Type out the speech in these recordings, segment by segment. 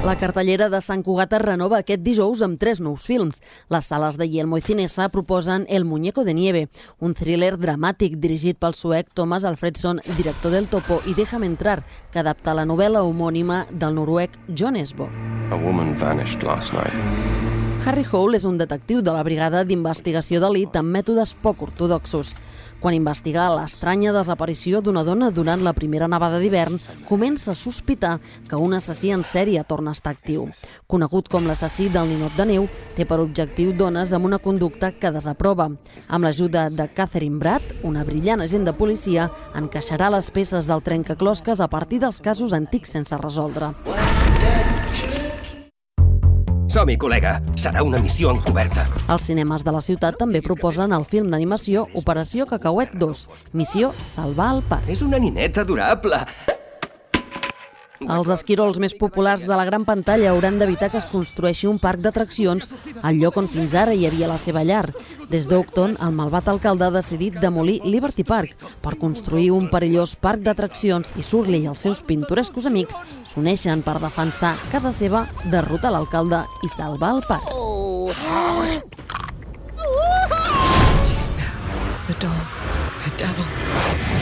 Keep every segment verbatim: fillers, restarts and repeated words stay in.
La cartellera de Sant Cugat es renova aquest dijous amb tres nous films. Les sales de Yelmo i Cinesa proposen El muñeco de nieve, un thriller dramàtic dirigit pel suec Thomas Alfredson, director del Topo, i Déjame entrar, que adapta la novel·la homònima del noruec John Esbo. A woman vanished last night. Harry Hole és un detectiu de la brigada d'investigació d'elit amb mètodes poc ortodoxos. Quan investiga l'estranya desaparició d'una dona durant la primera nevada d'hivern, comença a sospitar que un assassí en sèrie torna a estar actiu. Conegut com l'assassí del ninot de neu, té per objectiu dones amb una conducta que desaprova. Amb l'ajuda de Catherine Bratt, una brillant agent de policia, encaixarà les peces del trencaclosques a partir dels casos antics sense resoldre. Som-hi, col·lega. Serà una missió encoberta. Els cinemes de la ciutat també proposen el film d'animació Operació Cacauet dos, Missió Salvar el Parc. És una nineta adorable. Els esquirols més populars de la gran pantalla hauran d'evitar que es construeixi un parc d'atraccions al lloc on fins ara hi havia la seva llar. Des d'Oakton, el malvat alcalde ha decidit demolir Liberty Park per construir un perillós parc d'atraccions i Surly i els seus pintorescos amics s'uneixen per defensar casa seva, derrotar l'alcalde i salvar el parc.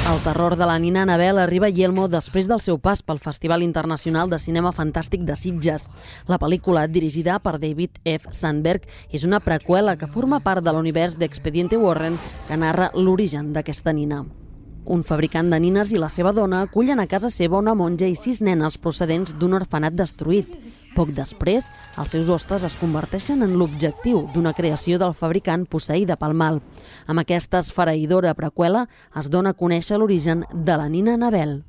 El terror de la nina Annabelle arriba a Yelmo després del seu pas pel Festival Internacional de Cinema Fantàstic de Sitges. La pel·lícula, dirigida per David F. Sandberg, és una preqüela que forma part de l'univers d'Expediente Warren que narra l'origen d'aquesta nina. Un fabricant de nines i la seva dona acullen a casa seva una monja i sis nenes procedents d'un orfenat destruït. Poc després, els seus hostes es converteixen en l'objectiu d'una creació del fabricant posseïda pel mal. Amb aquesta esfereïdora preqüela es dona a conèixer l'origen de la nina Annabelle.